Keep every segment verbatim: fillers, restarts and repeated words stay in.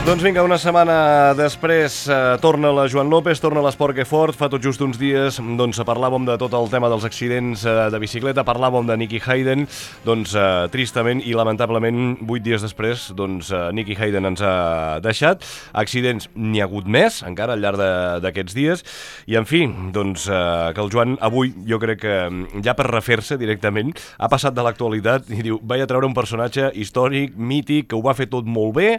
Doncs vinga, una setmana després eh, torna la Joan López, torna l'Esport que fort. Fa tot just uns dies doncs, parlàvem de tot el tema dels accidents eh, de bicicleta, parlàvem de Nicky Hayden, doncs eh, tristament i lamentablement vuit dies després doncs, eh, Nicky Hayden ens ha deixat. Accidents n'hi ha hagut més encara al llarg d'aquests dies i en fi, doncs eh, que el Joan avui jo crec que ja per refer-se directament ha passat de l'actualitat i diu, vaig a treure un personatge històric, mític, que ho va fer tot molt bé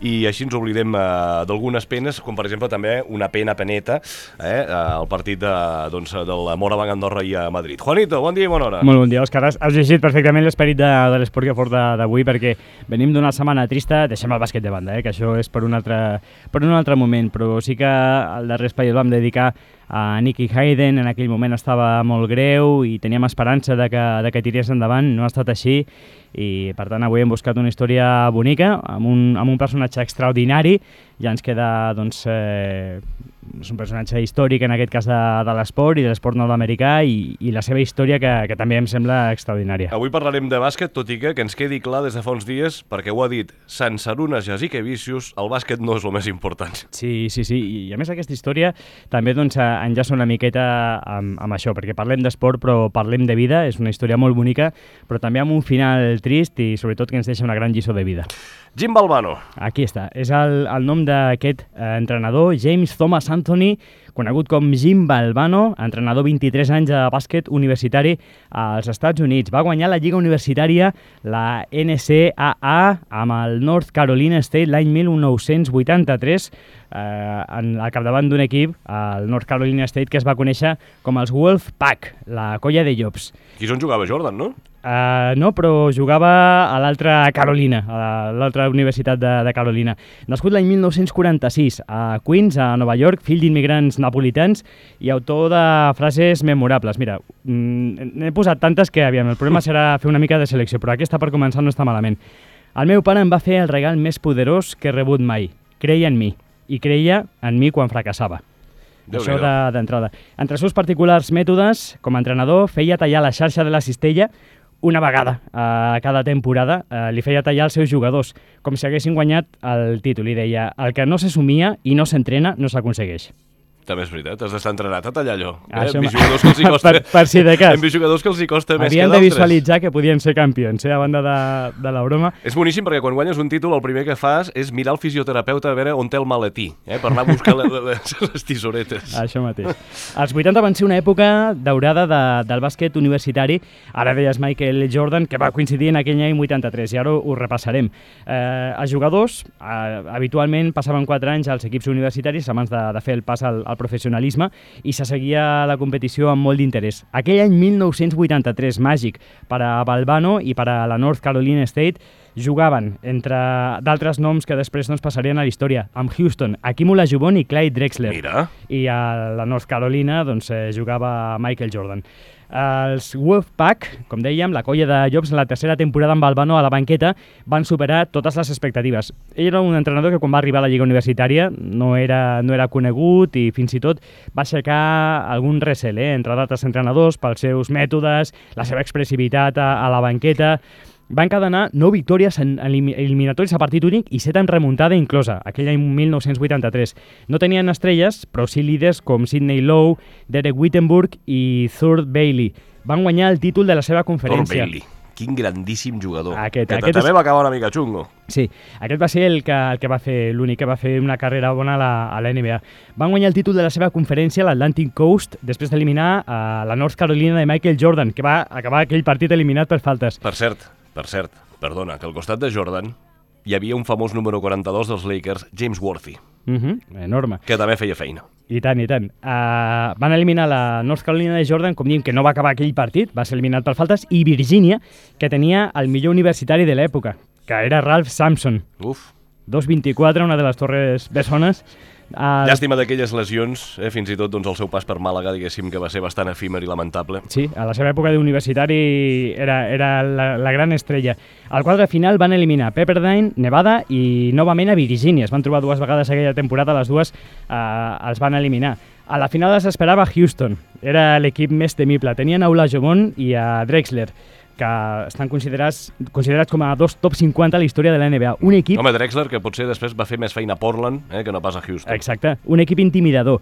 i així ens oblidem eh, d'algunes penes, com per exemple també una pena peneta eh, al partit de, doncs, del Moraván Andorra i a Madrid. Juanito, bon dia i bona hora. Molt bon dia, Òscar. Has, has llegit perfectament l'esperit de, de l'esport que fort d'avui perquè venim d'una setmana trista, deixem el bàsquet de banda, eh, que això és per un, altre, per un altre moment, però sí que al darrer espai el vam dedicar a Nicky Hayden. En aquell moment estava molt greu i teníem esperança de que, de que tirés endavant, no ha estat així i per tant avui hem buscat una història bonica amb un, amb un personatge extraordinari. Ja ens queda doncs, eh, és un personatge històric en aquest cas de, de l'esport i de l'esport nord-americà i, i la seva història que, que també em sembla extraordinària. Avui parlarem de bàsquet, tot i que, que ens quedi clar des de fa uns dies, perquè ho ha dit Sansarunas Jasikevičius, el bàsquet no és el més important. Sí, sí, sí, i a més aquesta història també doncs, enllaça una miqueta amb, amb això, perquè parlem d'esport però parlem de vida, és una història molt bonica, però també amb un final trist i sobretot que ens deixa una gran lliçó de vida. Jim Valvano. Aquí està, és el, el nom d'aquest eh, entrenador, James Thomas Anthony, conegut com Jim Valvano, entrenador vint-i-tres anys de bàsquet universitari als Estats Units. Va guanyar la lliga universitària, la N C A A, amb el North Carolina State l'any mil nou-cents vuitanta-tres, eh, en, al capdavant d'un equip, el North Carolina State, que es va conèixer com els Wolfpack, la colla de llops. Aquí és on jugava Jordan, no? Uh, no, però jugava a l'altra Carolina, a l'altra universitat de, de Carolina. Nascut l'any mil nou-cents quaranta-sis a Queens, a Nova York, fill d'immigrants napolitans i autor de frases memorables. Mira, n'he posat tantes que, aviam, el problema serà fer una mica de selecció, però aquesta per començar no està malament. El meu pare em va fer el regal més poderós que he rebut mai. Creia en mi, i creia en mi quan fracassava. Déu Això d'entrada. De, Entre els seus particulars mètodes, com a entrenador, feia tallar la xarxa de la cistella una vegada a cada temporada, eh, li feia tallar els seus jugadors, com si haguessin guanyat el títol. I deia, el que no se somia i no s'entrena no s'aconsegueix. També és veritat, has d'estar entrenat a tallar allò. Eh? Això Hem vist jugadors que els hi costa, per, per si de cas. Hem vist jugadors que els hi costa més Havien que de d'altres. visualitzar que podien ser campions, eh, a banda de, de la broma. És boníssim perquè quan guanyes un títol el primer que fas és mirar el fisioterapeuta a veure on té el maletí, eh, per anar a buscar les, les, les tisoretes. Això mateix. Els vuitanta van ser una època daurada de, del bàsquet universitari. Ara deies Michael Jordan, que va coincidir en aquell any vuitanta-tres, i ara ho, ho repassarem. Eh, els jugadors eh, habitualment passaven quatre anys als equips universitaris abans de, de fer el pas al, al professionalisme i se seguia la competició amb molt d'interès. Aquell any mil nou-cents vuitanta-tres, màgic per a Valvano i per a la North Carolina State, jugaven entre d'altres noms que després doncs, passarien a la història, amb Houston, Hakeem Olajuwon i Clyde Drexler. Mira. I a la North Carolina doncs, eh, jugava Michael Jordan. Els Wolfpack, com dèiem, la colla de llops en la tercera temporada amb Valvano a la banqueta, van superar totes les expectatives. Ell era un entrenador que quan va arribar a la lliga universitària no era, no era conegut i fins i tot va aixecar algun recel eh, entre d'altres entrenadors pels seus mètodes, la seva expressivitat a, a la banqueta. Va encadenar nou victòries en eliminatoris a partit únic i set en remuntada inclosa, aquell any mil nou-cents vuitanta-tres. No tenien estrelles, però sí líders com Sidney Lowe, Derek Wittenburg i Thurl Bailey. Van guanyar el títol de la seva conferència. Thurl Bailey, quin grandíssim jugador. Aquest, que aquest també és... va acabar una mica xungo. Sí, aquest va ser el que, el que va fer, l'únic que va fer una carrera bona a la, a la N B A. Van guanyar el títol de la seva conferència, l'Atlantic Coast, després d'eliminar a la North Carolina de Michael Jordan, que va acabar aquell partit eliminat per faltes. Per cert, per cert, perdona, que al costat de Jordan hi havia un famós número quaranta-dos dels Lakers, James Worthy. Uh -huh, enorme. Que també feia feina. I tant, i tant. Uh, van eliminar la North Carolina de Jordan, com diem que no va acabar aquell partit, va ser eliminat per faltes, i Virgínia, que tenia el millor universitari de l'època, que era Ralph Sampson. Uf. dos vint-i-quatre, una de les torres bessones. Uh, Llàstima d'aquelles lesions, eh, fins i tot doncs, el seu pas per Màlaga, diguéssim, que va ser bastant efímer i lamentable. Sí, a la seva època d'universitari era, era la, la gran estrella. Al quadre final van eliminar Pepperdine, Nevada i novament a Virgínia. Es van trobar dues vegades aquella temporada, les dues uh, els van eliminar. A la final les esperava Houston, era l'equip més temible. Tenien a Olajuwon i a Drexler. que estan considerats, considerats com a dos top cinquanta a la història de la N B A. Un equip... Home, Drexler, que potser després va fer més feina a Portland eh, que no pas a Houston. Exacte, un equip intimidador.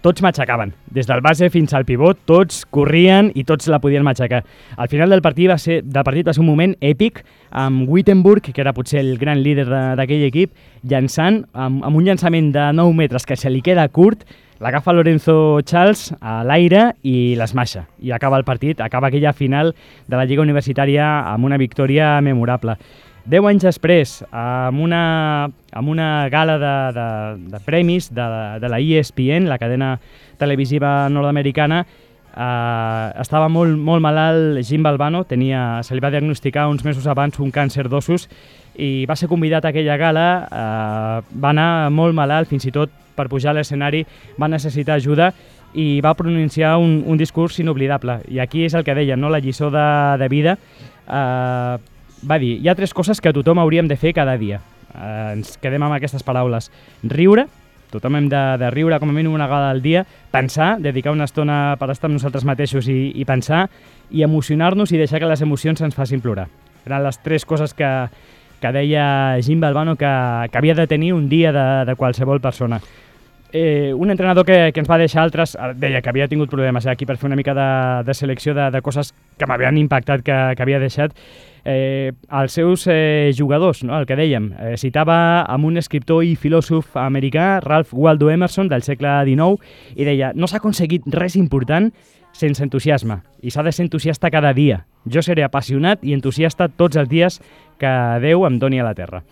Tots matxacaven, des del base fins al pivot, tots corrien i tots la podien matxacar. Al final del partit va ser, del partit va ser un moment èpic, amb Wittenburg, que era potser el gran líder d'aquell equip, llançant, amb, amb un llançament de nou metres que se li queda curt, l'agafa Lorenzo Charles a l'aire i l'esmaixa. I acaba el partit, acaba aquella final de la Lliga Universitària amb una victòria memorable. Deu anys després, amb una, amb una gala de, de, de premis de, de la E S P N, la cadena televisiva nord-americana, eh, estava molt, molt malalt Jim Valvano, tenia, se li va diagnosticar uns mesos abans un càncer d'ossos i va ser convidat a aquella gala, eh, va anar molt malalt, fins i tot per pujar a l'escenari va necessitar ajuda i va pronunciar un, un discurs inoblidable. I aquí és el que deia, no? La lliçó de, de vida. Eh, Va dir, hi ha tres coses que tothom hauríem de fer cada dia. Eh, ens quedem amb aquestes paraules. Riure, tothom hem de, de riure com a mínim una vegada al dia, pensar, dedicar una estona per estar amb nosaltres mateixos i, i pensar, i emocionar-nos i deixar que les emocions ens facin plorar. Eren les tres coses que, que deia Jim Valvano que, que havia de tenir un dia de, de qualsevol persona. Eh, un entrenador que, que ens va deixar altres, deia que havia tingut problemes eh, aquí per fer una mica de, de selecció de, de coses que m'havien impactat, que, que havia deixat, eh, els seus eh, jugadors, no? El que dèiem, eh, citava amb un escriptor i filòsof americà, Ralph Waldo Emerson, del segle dinou, i deia, no s'ha aconseguit res important sense entusiasme, i s'ha de ser entusiasta cada dia. Jo seré apassionat i entusiasta tots els dies que Déu em doni a la terra.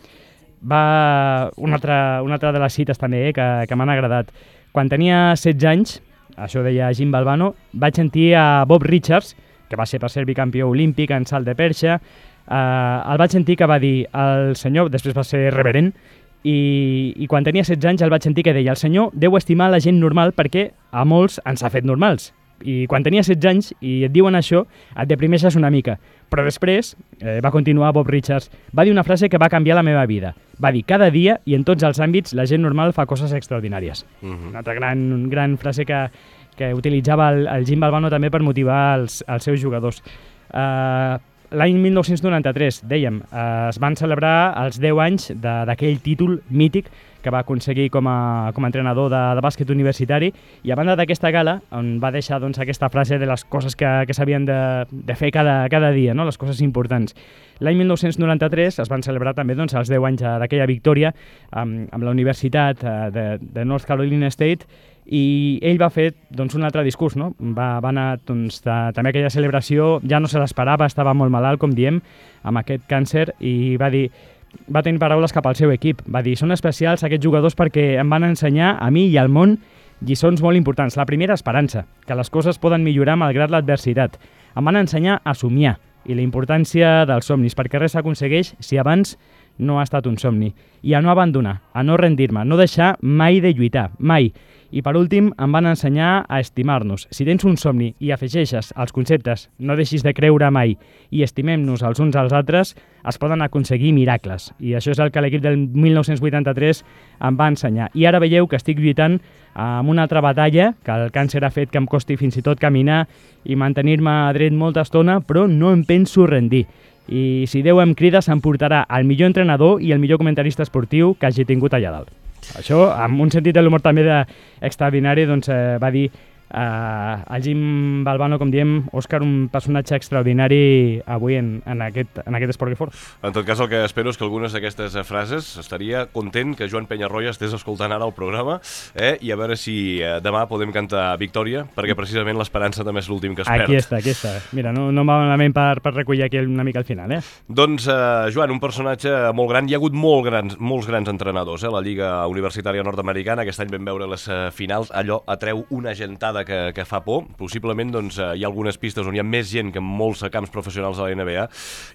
Va una altra, una altra de les cites també eh, que, que m'han agradat. Quan tenia setze anys, això deia Jim Valvano, vaig sentir a Bob Richards, que va ser per ser bicampió olímpic en salt de perxa, eh, el vaig sentir que va dir el senyor, després va ser reverent, i, i quan tenia setze anys el vaig sentir que deia el senyor deu estimar la gent normal perquè a molts ens ha fet normals. I quan tenia setze anys i et diuen això, et deprimeixes una mica. Però després, eh, va continuar Bob Richards, va dir una frase que va canviar la meva vida. Va dir, cada dia i en tots els àmbits la gent normal fa coses extraordinàries. Uh-huh. Una altra gran, gran frase que, que utilitzava el, el Jim Valvano també per motivar els, els seus jugadors. Uh, L'any mil nou-cents noranta-tres, dèiem, uh, es van celebrar els deu anys d'aquell títol mític que va aconseguir com a, com a entrenador de, de bàsquet universitari, i a banda d'aquesta gala, on va deixar doncs, aquesta frase de les coses que, que s'havien de, de fer cada, cada dia, no? Les coses importants. L'any mil nou-cents noranta-tres es van celebrar també doncs, els deu anys d'aquella victòria amb, amb la Universitat de, de North Carolina State, i ell va fer doncs, un altre discurs, no? Va, va anar doncs, de, també aquella celebració, ja no se l'esperava, estava molt malalt, com diem, amb aquest càncer, i va dir, va tenir paraules cap al seu equip. Va dir, són especials aquests jugadors perquè em van ensenyar a mi i al món lliçons molt importants. La primera, esperança, que les coses poden millorar malgrat l'adversitat. Em van ensenyar a somiar i la importància dels somnis, perquè res s'aconsegueix si abans no ha estat un somni. I a no abandonar, a no rendir-me, no deixar mai de lluitar, mai. I per últim, em van ensenyar a estimar-nos. Si tens un somni i afegeixes els conceptes no deixis de creure mai i estimem-nos els uns als altres, es poden aconseguir miracles. I això és el que l'equip del mil nou-cents vuitanta-tres em va ensenyar. I ara veieu que estic lluitant amb una altra batalla, que el càncer ha fet que em costi fins i tot caminar i mantenir-me dret molta estona, però no em penso rendir. I si Déu em crida, s'emportarà el millor entrenador i el millor comentarista esportiu que hagi tingut allà dalt. Això, amb un sentit de l'humor també de extraordinari, doncs, eh, va dir eh, el Jim Valvano, com diem, Òscar, un personatge extraordinari avui en, en, aquest, en aquest Esport que Fort. En tot cas, el que espero és que algunes d'aquestes frases estaria content que Joan Penyarroia estés escoltant ara el programa eh, i a veure si eh, demà podem cantar Victòria, perquè precisament l'esperança també és l'últim que es perd. Aquí està, aquí està. Mira, no, no em va malament per, per recollir aquí una mica al final, eh? Doncs, eh, Joan, un personatge molt gran. Hi ha hagut molt grans, molts grans entrenadors, eh? La Lliga Universitària Nord-Americana, aquest any vam veure les eh, finals, allò atreu una gentada que, que fa por. Possiblement doncs, hi ha algunes pistes on hi ha més gent que en molts camps professionals de la N B A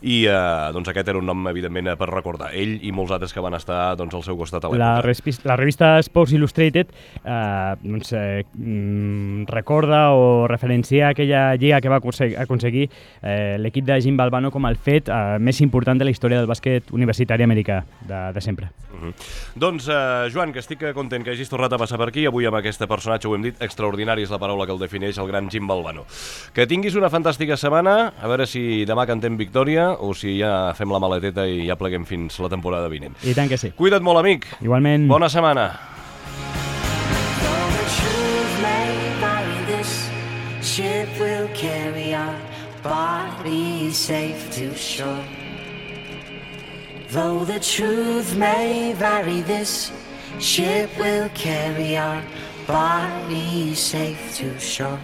i eh, doncs, aquest era un nom, evidentment, per recordar. Ell i molts altres que van estar doncs, al seu costat a l'època. La, la revista Sports Illustrated eh, doncs, eh, recorda o referencia aquella lliga que va aconseguir eh, l'equip de Jim Valvano com el fet eh, més important de la història del bàsquet universitari americà de, de sempre. Uh-huh. Doncs, eh, Joan, que estic content que hagis tornat a passar per aquí, avui amb aquest personatge, ho hem dit, extraordinari, és la paraula que el defineix, el gran Jim Valvano. Que tinguis una fantàstica setmana, a veure si demà cantem victòria o si ja fem la maleteta i ja pleguem fins la temporada vinent. I tant que sí. Cuida't molt, amic. Igualment. Bona setmana. Ship will carry our bodies safe to shore. Though the truth may vary, this ship will carry our bodies safe to shore.